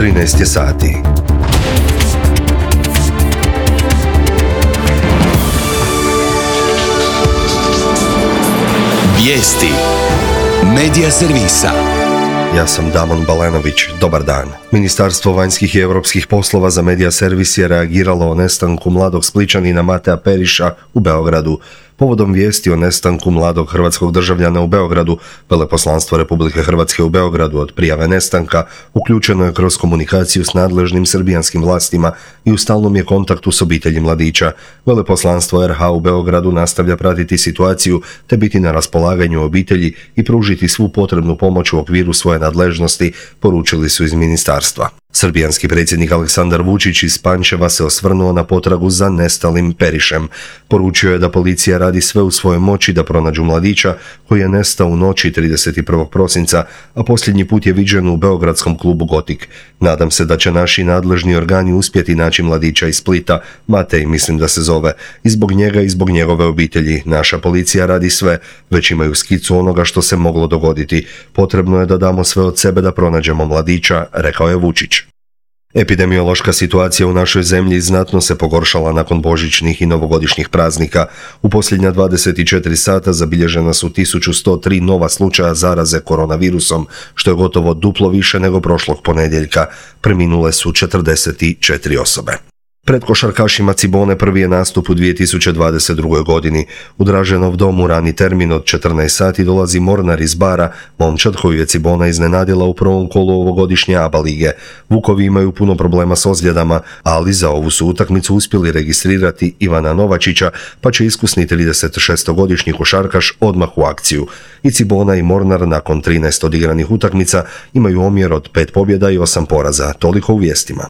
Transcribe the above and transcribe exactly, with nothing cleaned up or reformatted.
trinaest je sati. Vijesti Medija servisa. Ja sam Damon Balenović, dobar dan. Ministarstvo vanjskih i europskih poslova za Medija servis je reagiralo o nestanku mladog Splićanina Matea Periša u Beogradu. Povodom vijesti o nestanku mladog hrvatskog državljana u Beogradu, Veleposlanstvo Republike Hrvatske u Beogradu od prijave nestanka uključeno je kroz komunikaciju s nadležnim srbijanskim vlastima i u stalnom je kontaktu s obitelji mladića. Veleposlanstvo er ha u Beogradu nastavlja pratiti situaciju te biti na raspolaganju obitelji i pružiti svu potrebnu pomoć u okviru svoje nadležnosti, poručili su iz ministarstva. Srbijanski predsjednik Aleksandar Vučić iz Pančeva se osvrnuo na potragu za nestalim Perišem. Poručio je da policija radi sve u svojoj moći da pronađu mladića koji je nestao u noći trideset prvog prosinca, a posljednji put je viđen u beogradskom klubu Gotik. Nadam se da će naši nadležni organi uspjeti naći mladića iz Splita, Matej mislim da se zove, i zbog njega i zbog njegove obitelji. Naša policija radi sve, već imaju skicu onoga što se moglo dogoditi. Potrebno je da damo sve od sebe da pronađemo mladića, rekao je Vučić. Epidemiološka situacija u našoj zemlji znatno se pogoršala nakon božićnih i novogodišnjih praznika. U posljednja dvadeset četiri sata zabilježena su tisuću sto tri nova slučaja zaraze koronavirusom, što je gotovo duplo više nego prošlog ponedjeljka. Preminule su četrdeset četiri osobe. Pred košarkašima Cibone prvi je nastup u dvije tisuće dvadeset drugoj godini. U Draženov dom u rani termin od četrnaest sati dolazi Mornar iz Bara, momčad koju je Cibona iznenadila u prvom kolu ovogodišnje A B A lige. Vukovi imaju puno problema s ozljedama, ali za ovu su utakmicu uspjeli registrirati Ivana Novačića, pa će iskusni tridesetšestogodišnji košarkaš odmah u akciju. I Cibona i Mornar nakon trinaest odigranih utakmica imaju omjer od pet pobjeda i osam poraza. Toliko u vijestima.